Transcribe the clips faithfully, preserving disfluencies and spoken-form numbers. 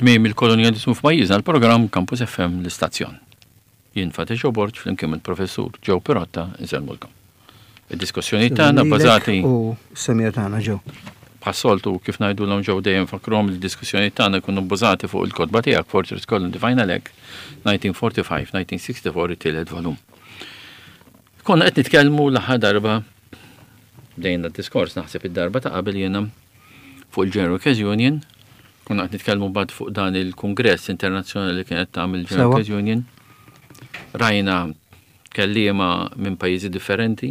Tmiem il-kolonjalizmu f'pajjiżna, l-programm Campus F M, l-istazzjon. Jien Fatih Borg flimkien il-professur Joe Pirotta insellmulkom. Id-diskussjoni tagħna bbażati U semija tagħna, Joe. Bħas-soltu, kif ngħidulhom, Joe, dejjem fakrom li d-diskussjoni tagħna jkunu bbażati fuq il-kotba tiegħek, Fortress Colony Final Act elf disa' mija u erbgħa u ħamsin-elf disa' mija u sitta u sebgħin, it-tielet volum. Konna qed nitkellmu l-aħħar darba, bdejna d-diskors naħseb id-darba ta' qabel jiena fuq il-General Workers Union, konna qed nitkellmu bad fuq dan il-Kongress Internazzjonali li kienet tagħmel il-General Sewa. Workers Union. Rajna kelliema minn pajjiżi differenti,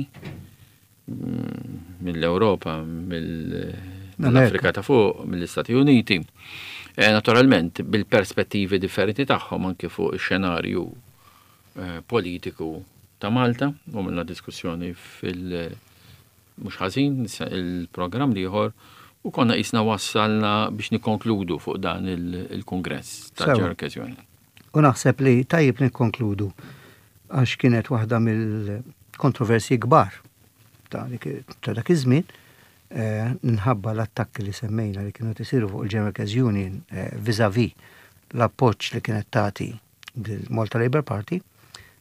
mm, mill-Ewropa, mill-Afrika ta' fuq, mill-Istati Uniti. E, naturalment, bil-perspettivi differenti tagħhom anke fuq ix-xenarju eh, politiku ta' Malta, u minna diskussjoni fil- mhux ħażin il-programm l-ieħor u konna qisna wassalna biex nikkonkludu fuq dan il- il-kongress ta' Sewa. General Workers Union. U naħseb li tajjeb nikkonkludu għax kienet waħda mill-kontroversji kbar ta' dik- ta' dak iż-żmien eh, minħabba l-attakki li semmejna li kienu tisiru fuq il-General Workers Union eh, vis-a-vis l-appoġġ li kienet tagħti il-Malta Labour Party,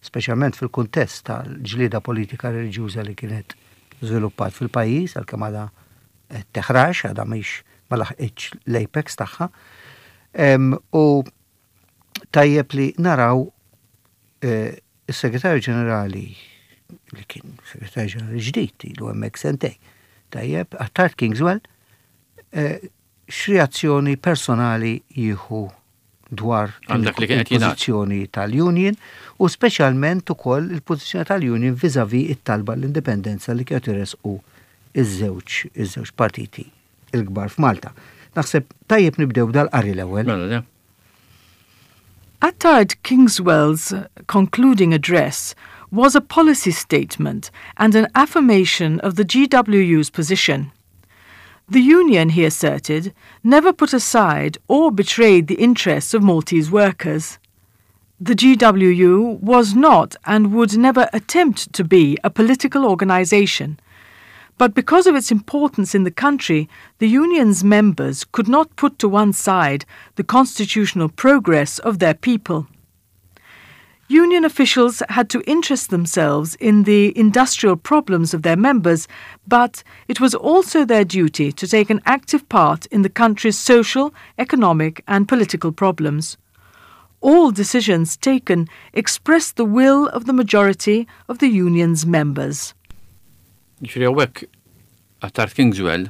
speċjalment fil-kuntest tal-ġlieda politika reliġjuża li kienet żviluppat fil-pajjiż, għalkemm għadha qed teħrax, għadha mhix ma laħqitx l-apex tagħha. Em, U tajjeb li naraw eh, is-segretarju ġenerali, li kien segretarju ġenerali ġdid, ilu hemmhekk sentejn. Tajjeb, Attard Kingswell, eh, x'reazzjoni personali jieħu dwar Għal dak li kien qed jingħad. il-pożizzjoni tal-Union u speċjalment ukoll il-pożizzjoni tal-Union vis-a-vis it-talba l-indipendenza li kienet iresqu iż-żewġ iż-żewġ partiti il-kbar f'Malta. Naħseb tajjeb nibdew dal-qari l-ewwel. Mela, le? Attard Kingswell's concluding address was a policy statement and an affirmation of the G W U's position. The union, he asserted, never put aside or betrayed the interests of Maltese workers. The G W U was not and would never attempt to be a political organization. But because of its importance in the country, the union's members could not put to one side the constitutional progress of their people. Union officials had to interest themselves in the industrial problems of their members, but it was also their duty to take an active part in the country's social, economic, and political problems. All decisions taken expressed the will of the majority of the union's members. Ġifieri hawnhekk Attard Kingswell,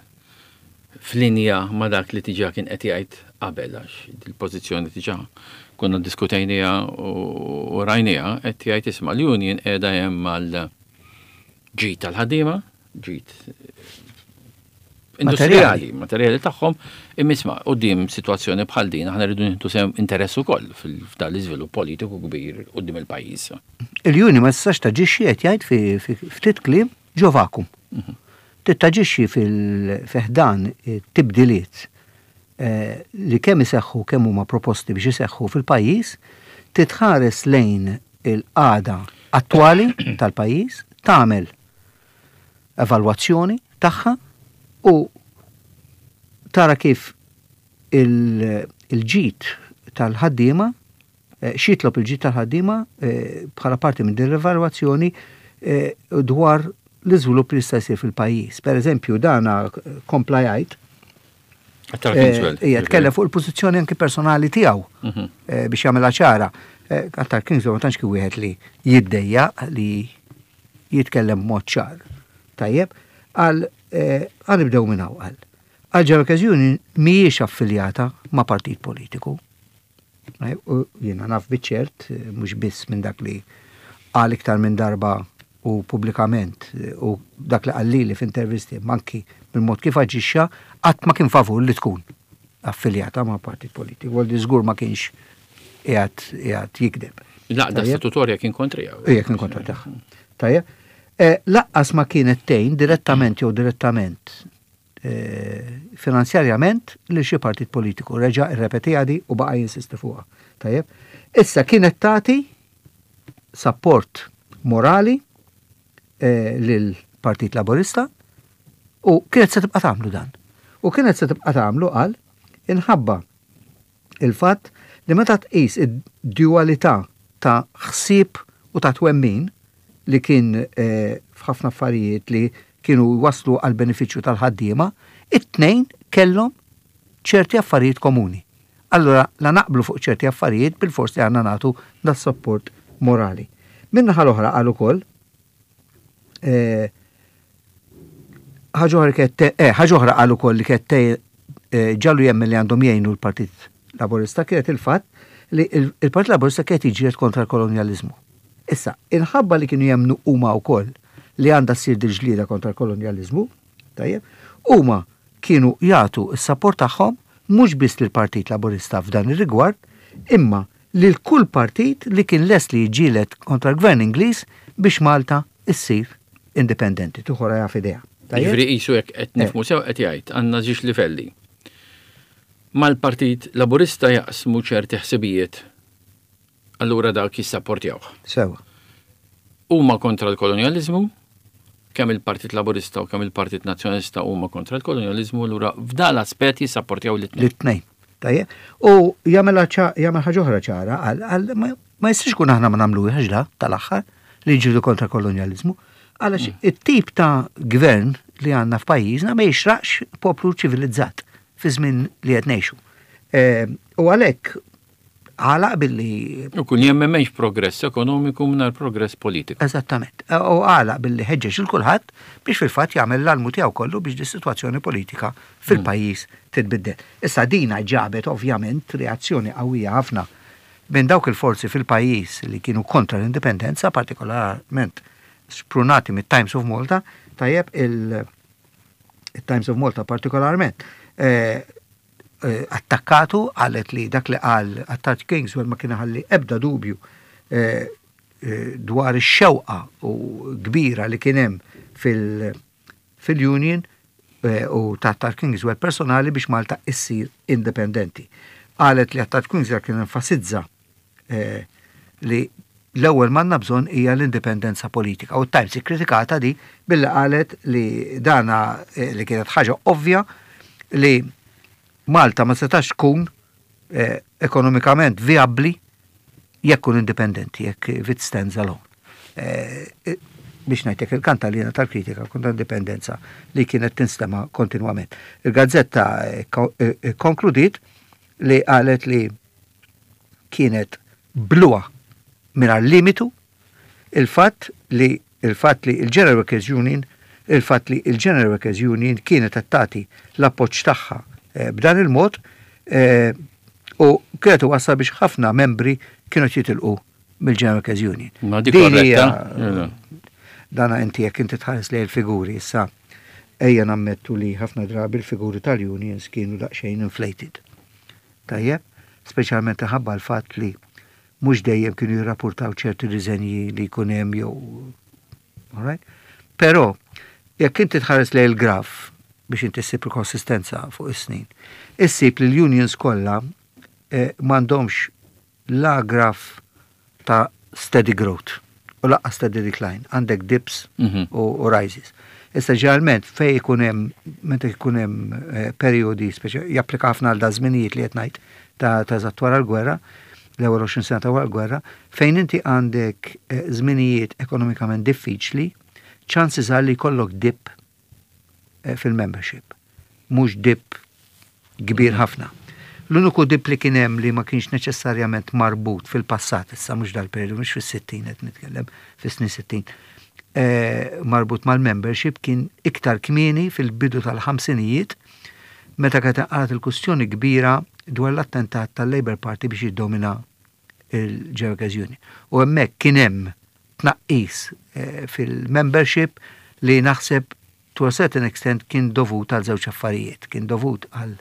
f'linja ma' dak li diġà kien qed jgħid qabel, għax il-pożizzjoni diġà konna diskutejnija u u rajnija, qed jgħid, isma', l-union qiegħda hemm mal ġid tal-ħaddiema, ġid industrijali, materjali tagħhom, imma isma', quddiem sitwazzjoni bħal din aħna rridu nieħdu sehem interess ukoll fil- f'dan l-iżvilupp politiku kbir quddiem il-pajjiż. Il-Union ma tistax taġixxi, qed jgħid fi fi ftit kliem, ġo vacuum. Trid taġixxi fil-ħdan tibdiliet eh, li kemm iseħħu, kemm huma proposti biex iseħħu fil-pajjiż, titħares lejn il-qagħda attwali tal-pajjiż, tagħmel evalwazzjoni tagħha u tara kif il- il-ġid tal-ħaddiema, eh, x'jitlob il-ġid tal-ħaddiema eh, bħala parti minn din l-evalwazzjoni eh, dwar l-iżvilupp li jista' jsir fil-pajjiż. Per eżempju, dana kompla jgħid Attard Kingswell. Ija, tkellem fuq il-pożizzjoni anki personali tiegħu Mhm. eh, biex jagħmilha ċara. Eh, Attard Kingswell ma tantx kien wieħed li jiddejja li jitkellem b'mod ċar. Tajjeb, għal għal nibdew minn hawn għal. Għal General Workers Union mhijiex affiljata ma' partit politiku. Eh, U jiena naf biċ-ċert, eh, mhux biss minn dak li qal iktar minn darba u pubblikament eh, u dak li qalli li f'intervisti, manki mill-mod kif aġixxa, qatt ma kien favur li tkun affiljata ma' partit politiku. Għaldi żgur ma kienx qiegħed qiegħed jikdeb. L-għaqda Tajjeb. statutorja kien kontrija. Ija, kien kontra tagħha. Tajjeb. Eh, Lanqas ma kienet tgħin direttament jew direttament eh, finanzjarjament lil xi partit politiku. Reġa' irrepetiha di u baqa' jinsisti fuqha. Tajjeb. Issa kienet tagħti support morali eh, lil Partit Laburista u kienet se tibqa' tagħmlu dan. U kienet se tibqa' tagħmlu, qal, inħabba Il-fatt li meta tqis id-dualità ta' ħsieb u ta' twemmin li kien eh, f'ħafna affarijiet li kienu waslu għal benefiċċju tal-ħaddiema, it-tnejn kellhom ċerti affarijiet komuni. Allora, la naqblu fuq ċerti affarijiet, bil-fors li għandna nagħtu da support morali. Min-naħa l-oħra qal ukoll eh, ħaġa oħra kienet eh, ħaġa oħra qal ukoll li kienet eh, ġagħlu jemmen li għandhom jgħinu l-Partit Laburista kienet il-fatt li il-Partit Laburista kienet jiġġieled kontra l-kolonjalizmu. Issa, inħabba li kienu jemmnu huma wkoll li għandha ssir dil-ġlieda kontra l-kolonjalizmu, tajjeb, huma kienu jagħtu s-support tagħhom mhux biss lill-Partit Laburista f'dan ir-rigward, imma lil kull partit li kien lest li jiġġieled kontra l-Gvern Ingliż biex Malta issir indipendenti, tieħu rajha f'idejha. Tajjeb? Jiġifieri qisu jekk qed nifhmu sew qed jgħid għandna żewġ livelli. Mal-Partit Laburista jaqsmu ċerti ħsibijiet, allura dak jissapportjawh. Sewa. Huma kontra l-kolonjalizmu, kemm il-Partit Laburista u kemm il-Partit Nazzjonalista huma kontra l-kolonjalizmu, allura f'dan l-aspett jissapportjaw l-tnejn. L-tnejn. Tajjeb? U jagħmel jagħmel ħaġa oħra ċara, għal għal ma ma jistax ikun aħna ma nagħmluhiex da tal-aħħar li ġġieldu kontra kolonjalizmu, għalax it-tip ta' gvern li għandna f'pajjiżna ma jixraqx poplu ċivilizzat fi żmien li qed ngħixu. Eh, U għalhekk għalaq billi U kun jemmen m'hemmx progress ekonomiku mingħajr progress politiku. Eżattament. U għalaq billi ħeġġeġ il kulħadd biex fil-fatt jagħmel l-almu tiegħu kollu biex dis-sitwazzjoni politika fil-pajjiż titbiddel. Issa dina ġabet ovvjament reazzjoni qawwija ħafna minn dawk il-forzi fil-pajjiż li kienu kontra l-indipendenza, partikolarment sprunati mit-Times of Malta, tajjeb, il- il-Times of Malta partikolarment, eh, eh, attakkatu, qalet li dak li qal Attard Kingswell ma kien ħalli ebda dubju eh, eh, dwar ix-xewqa u kbira li kien hemm fil- fil-Union eh, u ta' Attard Kingswell personali biex Malta issir indipendenti. Qalet li Attard Kingswell kien enfasizza eh, li l-ewwel m'għandna bżonn hija l-indipendenza politika. U Times ikkritikata di billi qalet li dana eh, li kienet ħaġa ovvja li Malta ma setax tkun eh, ekonomikament viabli jekk kun indipendenti, jekk if it stands alone. Eh, eh, biex ngħidlek il-kantalina tal-kritika kontra indipendenza li kienet tinstema kontinwament. Il-gazzetta eh, ko- eh, eh, konkludiet li qalet li kienet bluha mingħajr limitu il-fatt li il-fatt li il-General Workers Union il-fatt li il-General Workers Union kienet qed tagħti l-appoġġ tagħha eh, b'dan il-mod eh, u kienet wassal biex ħafna membri kienu jitilqu mill-General Workers Union. Ma dik Din hija- korretta? Dana inti jekk inti tħares lejn il-figuri issa, ejja nammettu li ħafna drabi l-figuri tal-unions kienu daqsxejn inflated. Tajjeb, speċjalment ħabba l-fatt li mhux dejjem kienu jirrapportaw ċerti riżenji li jkun hemm jew, alright? Però jekk inti tħares lejn il-graf biex inti ssib il-konsistenza fuq is-snin, issib li l-unions kollha eh, m'għandhomx la graf ta' steady growth u lanqas steady decline, għandek dips Mhm. u, u rises. Issa ġeneralment fej ikun hemm meta jkun hemm eh, periodi speċi japplika ħafna għal da żminijiet li qed ngħid ta' ta' eżatt wara l-gwerra, l-ewwel għoxrin sena ta' wara l-gwerra, fejn inti għandek eh, żminijiet ekonomikament diffiċli, chances are li jkollok dip eh, fil-membership. Mhux dip kbir ħafna. L-uniku dip li kien hemm li ma kienx neċessarjament marbut fil-passat, issa mhux dal-periodu, mhux fis-sittin qed nitkellem, fis-snin sittin, eh, marbut mal-membership kien iktar kmieni fil-bidu tal-ħamsinijiet meta kienet inqalgħet il-kustjoni kbira dwar l-attentat tal-Labour Party biex jiddomina il-General Workers Union. U hemmhekk kien hemm tnaqqis eh, fil-membership li naħseb to a certain extent kien dovut għal żewġ affarijiet. Kien dovut għal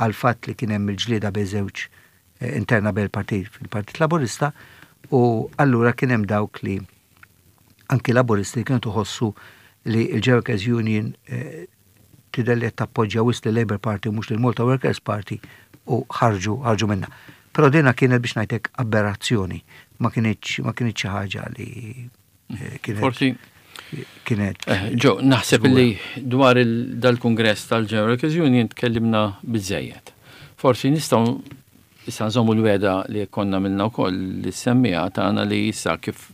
għal fatt li kien hemm il-ġlieda bejn żewġ eh, interna bejn il-partit fil-Partit Laburista u allura kien hemm dawk li anki Laburisti kienu tħossu li il-General Workers Union eh, tidher li qed tappoġġja wisq li Labour Party u mhux lil Malta Workers Party u ħarġu ħarġu minna. Però dina kienet, biex ngħidlek, aberrazzjoni, ma kienx ma kienx xi ħaġa li eh, kienet Forsi kienet Eh, Ġo, naħseb żgura. li dwar il- dal-kongress tal-General Workers Union tkellimna biżejjed. Forsi nistgħu Issa nżommu l-wegħda li konna għamilna wkoll li semmija tagħna li issa kif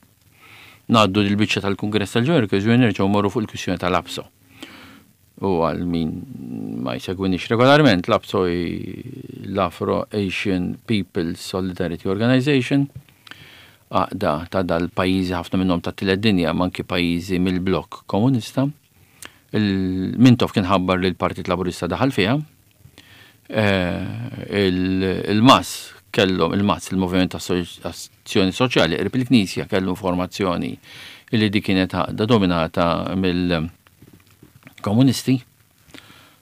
ngħaddu l-biċċa tal-Kungress tal-Joint nerġgħu morru fuq il-kwistjoni tal-APSO. U għal min ma jsegwinix regolarment, l-APSO l-Afro Asian People Solidarity Organization, għaqda ta' dal-pajjiżi, ħafna minnhom ta' tielet dinja, ma anki pajjiżi mill-blok komunista. Il-Mintoff kien ħabbar li l-Partit Laburista daħal fiha. Eh, il-M A S kellhom, il-M A S, il-Moviment ta' Azzjoni Soċjali, qrib il-Knisja, kellu informazzjoni li di kienet għaqda dominata mill-komunisti.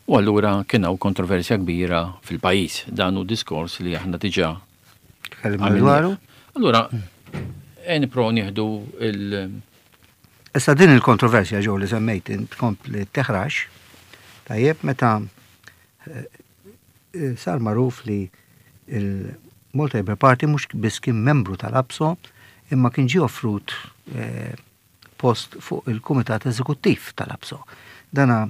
U allura kien hawn kontroversja kbira fil-pajjiż. Dan hu diskors li aħna diġà dwaru. Allura, nipprovaw nieħdu il- Issa din il-kontroversja ġew li semmejt tkompli teħrax, tajjeb, meta eh, sar magħruf li il-Malta Labour Party mhux biss kien membru tal-APSO imma kien ġie offrut eh, post fuq il-Kumitat Eżekuttiv tal-APSO. Dana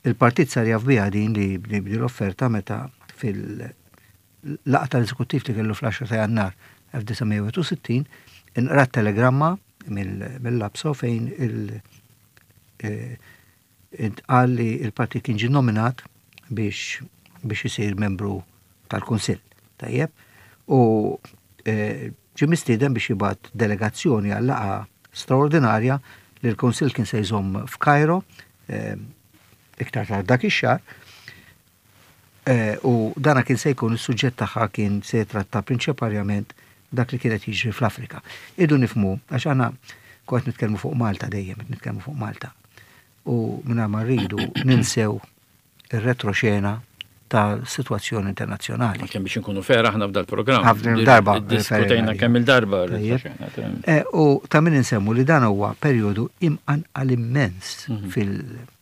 il-partit sar jaf biha din li l-offerta meta fil-laqgħa tal-eżekuttiv li kellu fl-għaxra ta' Jannar elf disa' mija u wieħed u sittin inqrat telegramma mill-APSO fejn il- eh, intqal li il-partit kien ġie nominat biex biex isir membru tal-Kunsill. Tajjeb? U eh, ġie mistieden biex jibgħat delegazzjoni għal laqgħa straordinarja li l-Kunsill kien se jżomm f'Kajro eh, iktar tard dak ix-xahar. U dana kien se jkun is-suġġett tagħha kien se jitratta prinċipalment dak li kienet jiġri fl-Afrika. Irridu nifhmu, għax aħna kont nitkellmu fuq Malta dejjem, nitkellmu fuq Malta. U minna ma rridu ninsew ir-retroxena ta' situazzjoni internazzjonali. Kemm biex nkunu fair aħna f'dal programm. Ħafna darba. Diskutejna kemm il-darba. Eh, u ta' min insemmu li dan huwa perjodu imqanqal immens mhm. fil-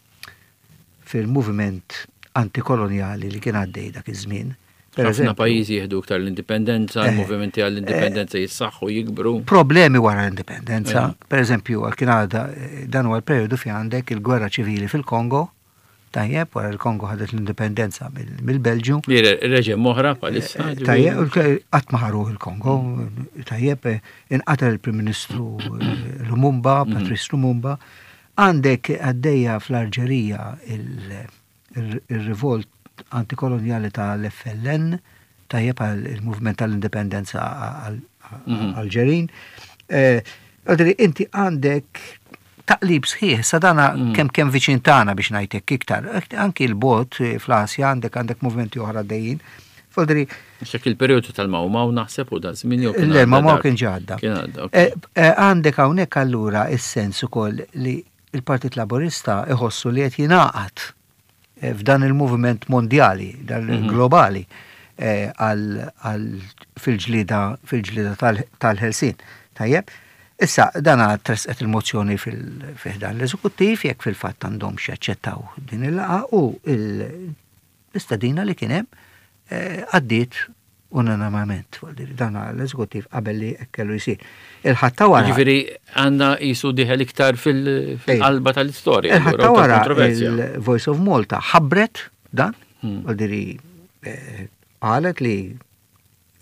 fil-moviment antikoloniali li kien għaddej dak iż-żmien. Ħafna pajjiżi jieħdu iktar l-indipendenza, eh, il-movimenti għall-indipendenza eh, jissaħħu, jikbru. Problemi wara l-indipendenza. Per eżempju, kien għadha dan huwa l-perjodu fi għandek il-gwerra ċivili fil-Kongo, tajjeb, wara l-Kongo ħadet l-indipendenza mill-Belġju. Reġim oħra palissa. Eh, tajjeb, qatt ma ħaruh il-Kongo, tajjeb, inqatel il-Prim Ministru Lumumba, mhm. Patrice Lumumba. Għandek għaddejja fl-Alġerija il-rivolt antikoloniali tal-F L N, tajjeb, il-movement tal-indipendenza mhm. Alġerin. Eh, inti għandek taqlib sħiħ, sadana mm. kemm kemm viċin tagħna biex ngħidlek iktar. Anki l-bot eh, fl-Asja għandek għandek movimenti oħra dejjin. Foldri. Xek il-periodu tal-Mau Mau naħseb u da żmien jew Le, Mau Mau kien ġadda. Eh, għandek hawnhekk allura is-sens ukoll li il-Partit Laburista iħossu li qed jingħaqad eh, f'dan il-moviment mondjali, dan mhm. globali għal fil-ġlida fil-ġlida tal-ħelsin. Tajjeb, issa dana tresqet il-mozzjoni fil-ħdan l-eżekuttiv jekk fil-fatt għandhom jaċċettaw din il-laqgħa u l-istadina li kien hemm eh, għaddiet unanimament. Dana l-eżekuttiv qabel li kellu jsir. Il-Ħadd ta' wara. Ġifieri għandna jisu dieħel iktar fil-qalba tal-istorja. Il-Ħadd ta' wara il-Voice of Malta ħabbret dan, hmm. għaldiri eh, qalet li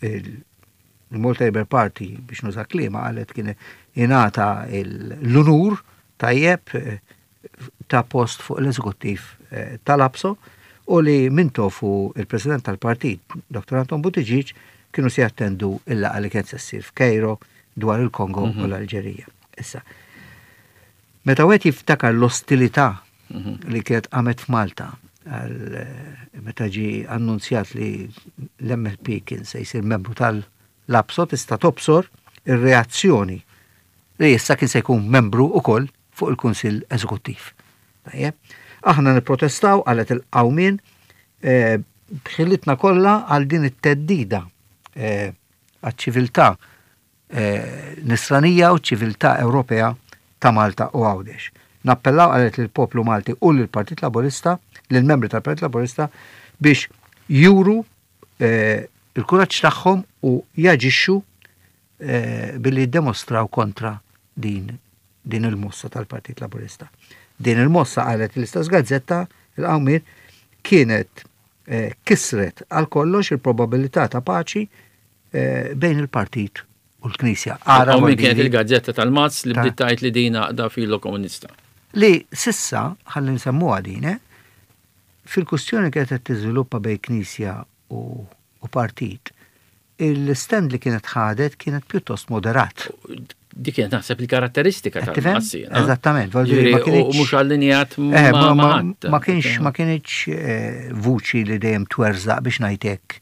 il-Malta Labour Party, biex nuża kliemha, qalet kien ingħata l-unur, tajjeb, eh, ta' post fuq l-eżekuttiv eh, tal-APSO u li Mintoff u il-President tal-partit, Doktor Anton Buttigieg, kienu se jattendu il-laqgħa li kien se ssir f'Kejro dwar il-Kongo u l-Alġerija. Issa, meta wieħed jiftakar l-ostilità li kienet qamet f'Malta għal meta ġi annunzjat li l-M L P kien se jsir membru tal-APSO, tista' tobsor ir-reazzjoni li issa kien se jkun membru ukoll fuq il-Kunsill Eżekuttiv. Tajjeb. Aħna nipprotestaw, qalet il-Qawmien, eh, b'ħilitna kollha għal din it-theddida eh, għaċ-ċiviltà eh, nisranija u ċiviltà Ewropea ta' Malta u Għawdex. Nappellaw, qalet, lill-poplu Malti u lill-Partit Laburista, lill-membri tal-Partit Laburista biex juru eh, il-kuraġġ tagħhom u jaġixxu eh, billi jiddemostraw kontra din din il-mossa tal-Partit Laburista. Din il-mossa, qalet l-istess gazzetta, il-Qawmien, kienet eh, kisret għal kollox il-probabilità ta' paċi eh, bejn il-partit u l-Knisja. Ara min kienet il-gazzetta tal-Mazz li bdiet tgħid li din għaqda filo komunista. Li s'issa, ħalli nsemmuha din, eh, fil-kustjoni kienet qed tiżviluppa bejn Knisja u, u partit, il-stand li kienet ħadet kienet pjuttost moderat. Dik kienet naħseb il-karatteristika tal-Mazz. Eżattament. U mhux allinjat eh, ma ma kienx ma kienx eh, vuċi li dejjem twerżaq biex ngħidlek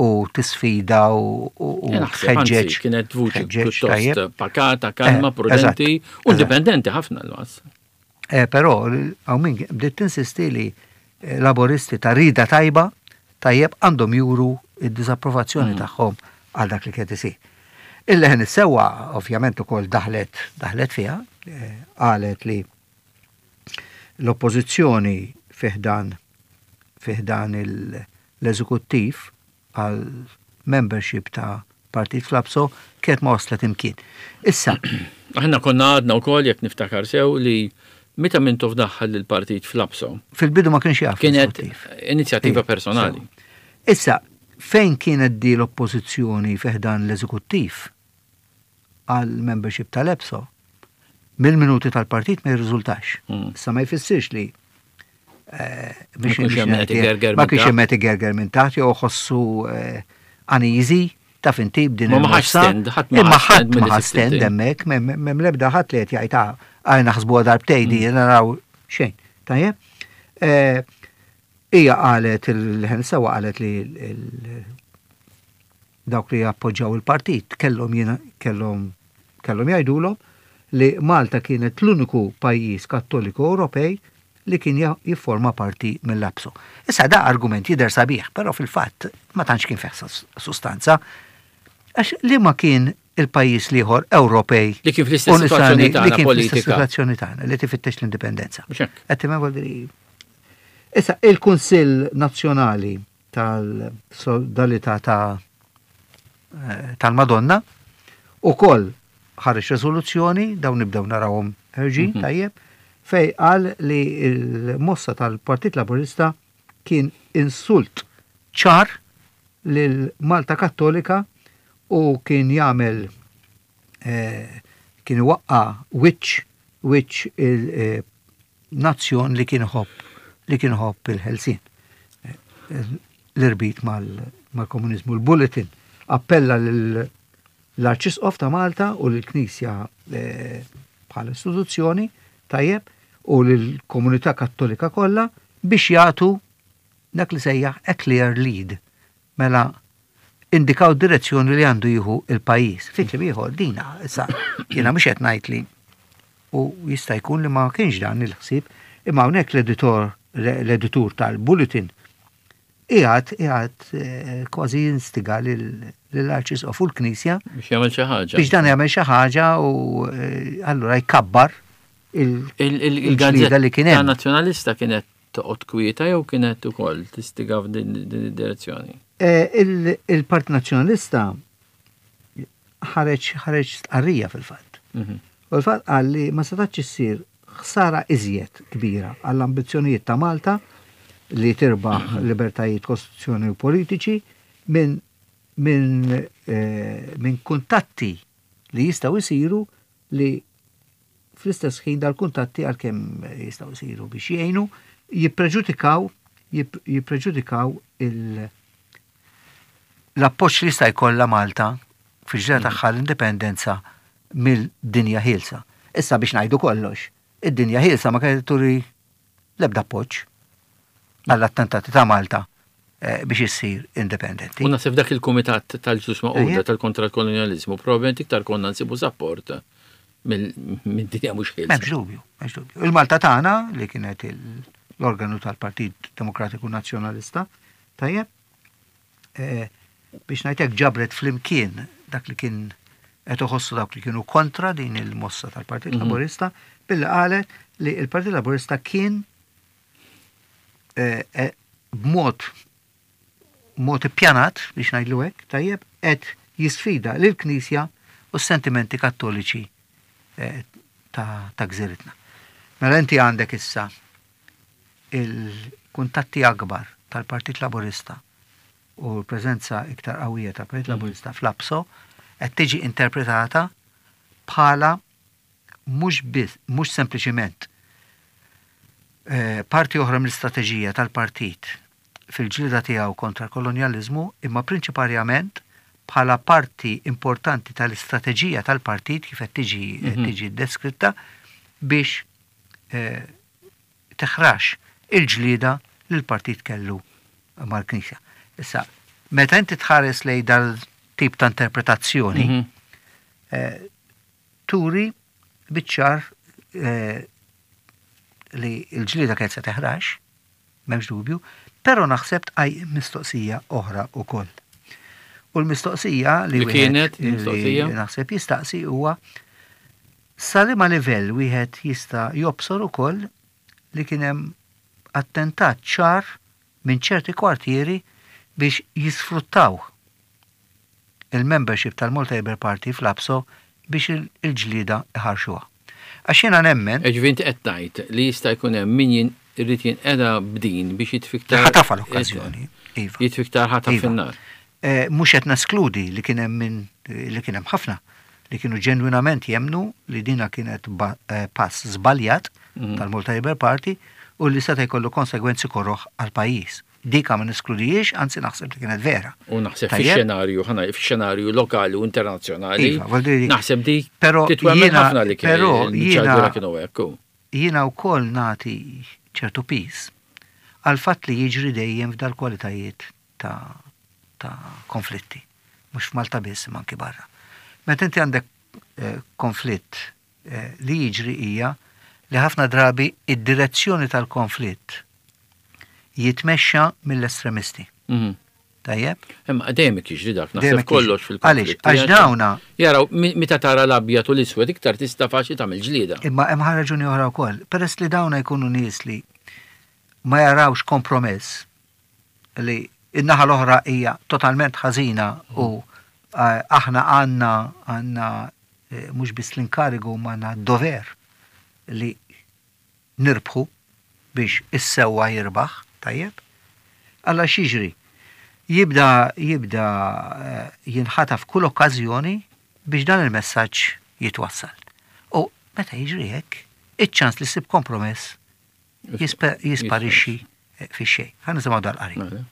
u tisfida u tħeġġeġ. Kienet vuċi pjuttost pakata, kalma, eh, prudenti u indipendenti ħafna l-Mazz. Però hawn min bdiet tinsisti li Laboristi ta' rida tajba tajjeb għandhom juru id-disapprovazzjoni mm. tagħhom għal dak li kien isir. Il-Leħen is-Sewwa ovvjament ukoll daħlet daħlet fiha, eh, qalet li l-oppożizzjoni fi ħdan fi ħdan l-eżekuttiv għal membership ta' partit fl-APSO kienet ma waslet imkien. Issa. Aħna konna għadna wkoll, jekk niftakar sew, li meta Mintoff daħħal il-partit fl-APSO. Fil-bidu ma kienx jaf. Kienet inizjattiva personali. Issa, fejn kienet di l-oppożizzjoni fi ħdan l-eżekuttiv għal membership tal-EPSO, mill-minuti tal-partit ma jirriżultax. Mm. Issa ma jfissirx li eh, ma kienx hemm qed igerger minn taħt jew ħossu eh, uneasy ta' finti b'din Ma ħax stand, ħadd ma ħadd ma stand hemmhekk, m'hemm l-ebda ħadd li qed jgħid ah, għaj naħsbu darbtejn di mm. naraw xejn. Tajjeb? Eh, hija qalet, il-Leħen is-Sewwa qalet li dawk li appoġġaw il-partit kellhom kellhom kellhom jgħidulhom li Malta kienet l-uniku pajjiż Kattoliku Ewropej li kien jifforma parti mill-APSO. Issa da argument jidher sabiħ, però fil-fatt ma tantx kien fih sustanza. Għax li ma kien il-pajjiż l-ieħor Ewropej li kien fl-istess situazzjoni tagħna politika. Situazzjoni tagħna li tifittex l-indipendenza. Qed Issa il-Kunsill Nazzjonali tal-Sodalità ta' eh, tal-Madonna ukoll ħareġ rezoluzzjoni, dawn nibdew narawhom ħerġin, mhm. tajjeb, fej qal li l-mossa tal-Partit Laburista kien insult ċar lil Malta Kattolika u kien jagħmel eh, kien waqqa wiċċ wiċċ il-nazzjon eh, li kien ħobb li kien ħobb il-ħelsien. Eh, l-irbit mal-komunizmu. Il-Bulletin appella l-Arċisqof ta' Malta u l-Knisja bħala istituzzjoni, tajjeb, u l-komunità Kattolika kollha biex jagħtu dak li sejjaħ a clear lead. Mela indikaw direzzjoni li għandu jieħu il-pajjiż. Fi kliem ieħor dina, issa jiena mhux qed ngħid li u jista' jkun li ma kienx dan il-ħsieb, imma hawnhekk l-editor l-editur tal-Bulletin qiegħed qiegħed eh, kważi jinstiga lill-Arċisqof u l-Knisja biex jagħmel xi ħaġa. Biex dan jagħmel xi ħaġa u eh, allura jkabbar il-gazzetta li kien hemm. Nazzjonalista kienet toqgħod kwieta jew kienet ukoll tistiga f'din id-direzzjoni? Eh, il-Partit Nazzjonalista ħareġ ħareġ stqarrija fil-fatt. Mhm. U l-fatt qal li ma setax issir ħsara iżjed kbira għall-ambizzjonijiet ta' Malta li tirbaħ mhm. libertajiet kostituzzjoni u politiċi minn minn eh, min kuntatti li jistgħu jsiru li fl-istess ħin dal-kuntatti, għalkemm jistgħu jsiru biex jgħinu, jippreġudikaw jippreġudikaw il l-appoġġ li jista' jkollha Malta fil-ġra mm. tagħha l-indipendenza mill-dinja ħielsa. Issa biex ngħidu kollox, id-dinja ħielsa ma kienet turi l-ebda appoġġ għall-attentati ta' Malta eh, biex issir indipendenti. U naħseb dak il-Kumitat tal-Ġnus Magħquda tal-kontra l-kolonializmu probabbilment iktar konna nsibu sapport minn dinja mhux ħielsa. M'hemmx dubju, m'hemmx dubju. Il-Malta Tagħna, li kienet l-organu tal-Partit Demokratiku Nazzjonalista, tajjeb, eh, biex ngħidlek ġabret flimkien dak li kien qed iħossu dawk li kienu kontra din il-mossa tal-Partit mhm. Laburista billi qalet li il-Partit Laburista kien eh, eh, b'mod mod ippjanat, biex ngħidlu hekk, tajjeb, qed jisfida lill-Knisja u s-sentimenti Kattoliċi eh, ta', ta gżiritna. Mela inti għandek issa il-kuntatti akbar tal-Partit Laburista u l-preżenza iktar qawwija ta' Partit Laburista fl-APSO qed tiġi interpretata bħala mhux biss, mhux sempliċiment eh, parti oħra mill-istrateġija tal-partit fil-ġlida tiegħu kontra l-kolonjaliżmu, imma prinċiparjament bħala parti importanti tal-istrateġija tal-partit kif qed tiġi qed tiġi deskritta biex eh, teħrax il-ġlida li l-partit kellu mal-Knisja. Issa, meta inti tħares lej dal-tip ta' interpretazzjoni, Mhm. eh, turi biċ-ċar eh, li l-ġlida kienet se teħrax, m'hemmx dubju, però naħseb tqajjem mistoqsija oħra ukoll. U l-mistoqsija li Li wieħed- kienet li mistoqsija? naħseb jistaqsi huwa sa liema livell wieħed jista' jobsor ukoll li kien hemm attentat ċar minn ċerti kwartieri biex jisfruttaw il-membership tal-Malta Labour Party fl-APSO biex il- il-ġlida iħarxuha. Għax jiena nemmen Ġifieri inti qed tgħid li jista' jkun hemm min jin- irid jinqeda b'din biex jitfi iktar. Ħa tafa l-okkażjoni. Iva. Jitfi iktar ħataf Iva. fin-nar. Eh, Mhux qed neskludi li kien hemm min li kien hemm ħafna li kienu ġenwinament jemnu li dina kienet ba- eh, pass żbaljat Mhm. tal-Malta Labour Party u li seta' jkollu konsegwenzi koroħ għal pajjiż. Dika ma neskludijiex, anzi naħseb li kienet vera. U naħseb Tajjeb? fix-xenarju, ħana fix-xenarju lokali u internazzjonali. Iva, vuol dire- Naħseb di Però titwemmen jiena- ħafna li kien però il-ċadura jiena- kienu hekk. u. Jiena wkoll nagħti ċertu piż għal fatt li jiġri dejjem f'dal-kwalitajiet ta', ta' konflitti. Mhux f'Malta biss, imma anki barra. Meta inti għandek eh, konflitt eh, li jiġri hija li ħafna drabi id-direzzjoni tal-konflitt jitmexxa mill-estremisti. Mhm. Tajjeb? Imma dejjem jiġri dak, Dejjem naħseb jiġri. kollox fil-konflitt. Għaliex? Għax dawna- Jaraw, mi- meta tara l-abjad u l-iswed iktar tista' faċli tagħmel ġlieda. Imma hemm raġuni oħra wkoll. Peress li dawna jkunu nies li ma jarawx kompromess li in-naħa l-oħra hija totalment ħażina u eh, aħna għandna għandna eh, mhux biss l-inkarigu ma għandna dover li nirbħu biex is-sewwa jirbaħ, tajjeb? Alla x'jiġri? Jibda jibda eh, jinħataf kull okkażjoni biex dan il-messaġġ jitwassal. U meta jiġri hekk, iċ-ċans li ssib kompromess jispa- jisparixxi eh, fi xejn. Ħa nisimgħu dal-qari. Mela.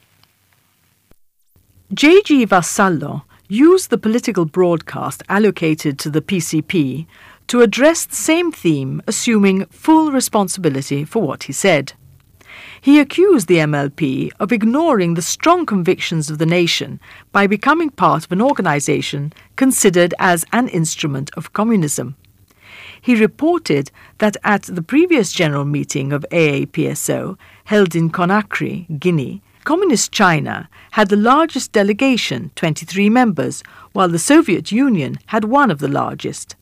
J G. Vassallo used the political broadcast allocated to the P C P to address the same theme, assuming full responsibility for what he said. He accused the M L P of ignoring the strong convictions of the nation by becoming part of an organization considered as an instrument of communism. He reported that at the previous general meeting of A A P S O, held in Conakry, Guinea, Communist China had the largest delegation, twenty-three members, while the Soviet Union had one of the largest.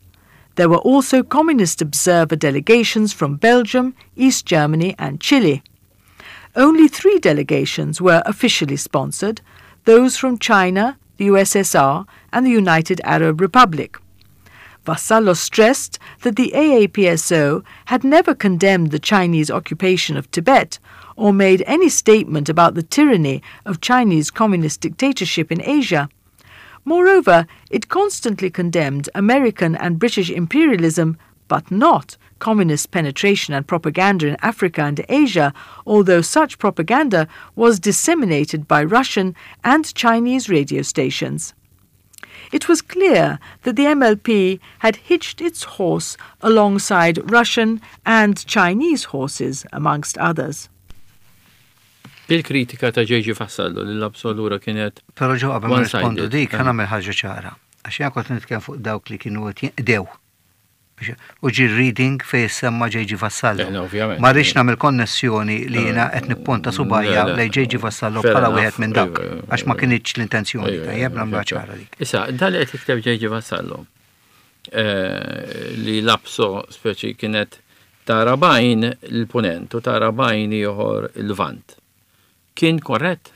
There were also communist observer delegations from Belgium, East Germany, and Chile. Only three delegations were officially sponsored, those from China, the U S S R, and the United Arab Republic. Vassallo stressed that the A A P S O had never condemned the Chinese occupation of Tibet or made any statement about the tyranny of Chinese communist dictatorship in Asia. Moreover, it constantly condemned American and British imperialism, but not communist penetration and propaganda in Africa and Asia, although such propaganda was disseminated by Russian and Chinese radio stations. It was clear that the M L P had hitched its horse alongside Russian and Chinese horses, amongst others. Il-kritika ta' J G. Vassallo li l-APSO allura kienet Però ġo qabel ma one-sided. rispondu dik, ħa Ah. nagħmel ħaġa ċara. Għax jien kont nitkellem fuq dawk li kienu qed jinqdew. Biex- U ġi reading fej semma J G. Vassallo. Eh, no, ovvjament. Ma rridx nagħmel konnessjoni li jiena qed nipponta subgħajja Le, le. lej J G. Vassallo Fair bħala enough. wieħed minn dak. Iva, Għax ma kinitx l-intenzjoni, Ejja, tajjeb ejja, nagħmluha ejja. ċara dik. Issa, dan li qed jikteb J G. Vassallo eh, li l-APSO speċi kienet tara b'għajn il-punent u tara b'għajn ieħor il-Lvant. Kien korrett?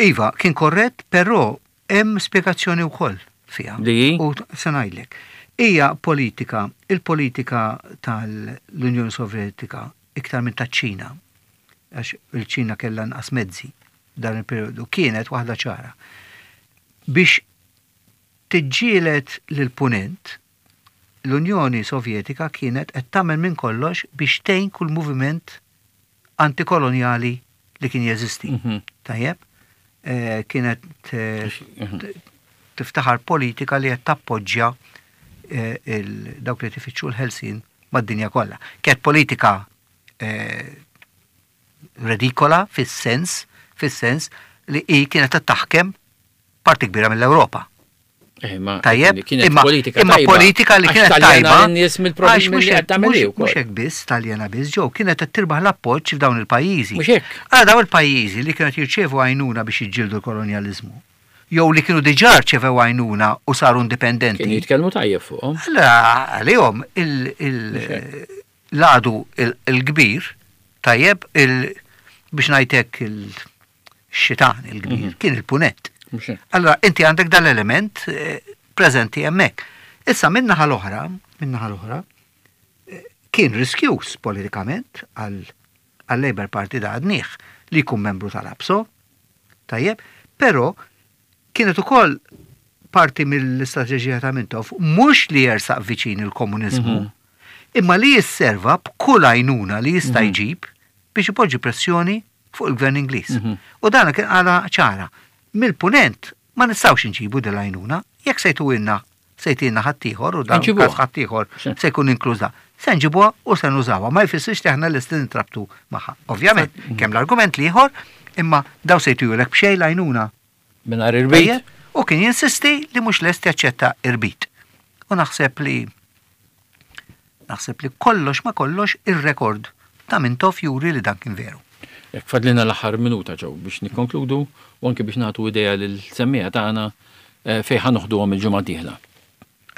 Iva, kien korrett, però hemm spjegazzjoni wkoll fiha. Li? U se ngħidlek. Hija politika, il-politika tal-Unjoni Sovjetika iktar minn taċ-Ċina, għax il-Ċina kellha nqas mezzi dan il-periodu kienet waħda ċara. Biex tiġġieled lill-punent, l-Unjoni Sovjetika kienet qed tagħmel minn kollox biex tgħin kull moviment antikolonjali li kien jeżisti. Mhm. Tajjeb, eh, kienet eh, Mhm. tiftaħar politika li qed tappoġġja eh, il- dawk li tifittxu l-ħelsien mad-dinja kollha. Kienet politika eh, redikola fis-sens, fis-sens li hi kienet qed taħkem parti kbira mill-Ewropa. Eh, ma Tajjeb, kienet imma, politika imma tajba. politika li Għax kienet taljana tajba. n-nies mill-problemi għax mhux li qed hekk- tagħmel mhux- hi wkoll. Mhux hekk biss, taljana biss, ġew kienet qed tirbaħ l-appoġġ f'dawn il-pajjiżi. Mhux hekk. Għala dawn il-pajjiżi li kienet jirċevu għajnuna biex jiġġieldu l-kolonjaliżmu, jew li kienu diġà rċevew għajnuna u saru indipendenti. Kienu jitkellmu tajjeb fuqhom. Allora, għalihom il- il- l-għadu il- il-kbir, tajjeb, il- biex ngħidlek il-xitan il-kbir, kien il-punent. Mhux hekk. Allora, inti għandek dal-element eh, preżenti hemmhekk. Issa min-naħa l-oħra, min-naħa l-oħra, eh, kien riskjuż politikament għal għal-Labour Party da għadnieh li jkun membru tal-APSO, tajjeb, però kienet ukoll parti mill-istrateġija ta' Mintoff mhux li jersaq viċin il-komuniżmu, imma li jisserva b'kull għajnuna li jista' jġib biex ipoġġi pressjoni fuq il-gvern Ingliż. U dan kien għala ċara. Mill-punent ma nistgħux inġibu dil-għajnuna, jekk se jtuhilna se jtina ħaddieħor u dan Nġibuha. każ ħaddieħor Sì. se jkun inkluż da. Se nġibuha u se nużawha, ma jfissirx li aħna lesti nintrabtu magħha. Ovvjament, kemm l-argument l-ieħor, imma daw se jtujulek b'xejn l-għajnuna. Mingħajr irbit. Tajjeb, U kien jinsisti li mhux lest jaċċetta irbit. U naħseb li naħseb li kollox ma kollox ir-rekord ta' Mintoff juri li dan kien veru. Jekk fadlina l-aħħar minuta ġew biex nikkonkludu u anke biex nagħtu idea lil-semmiegħa tagħna eh, fejn ħa noħduhom il-ġimgħa d-dieħla.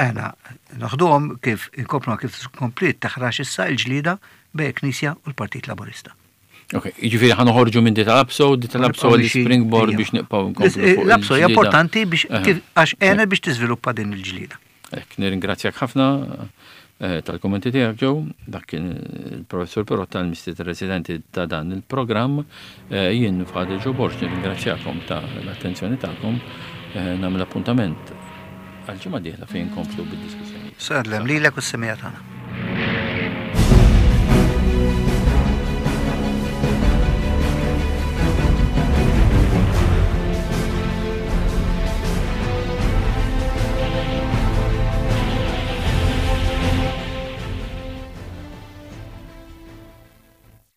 Aħna noħduhom kif inkomplu kif komplet taħrax issa il-ġlida bejn Knisja u l-Partit Laburista. Ok, jiġifieri ħa noħorġu minn di tal-APSO, di tal-APSO li springboard biex nibqgħu nkomplu fuq L-APSO hija il-ġlieda. importanti biex Aha. kif għax għenet biex tiżviluppa din il-ġlida. Ek, nirringrazzjak ħafna eh, tal-kommenti tiegħek ġew, dak kien il-professur Pirotta l-mistieden residenti ta' dan il-programm. Eh, Jien Father Joe Borg nirringrazzjakom ta' l-attenzjoni tagħkom. Eh, Nagħmel appuntament għal ġimgħa dieħla fejn nkomplu bid-diskussjoni. Sellem lilek u s-semmiegħa tagħna.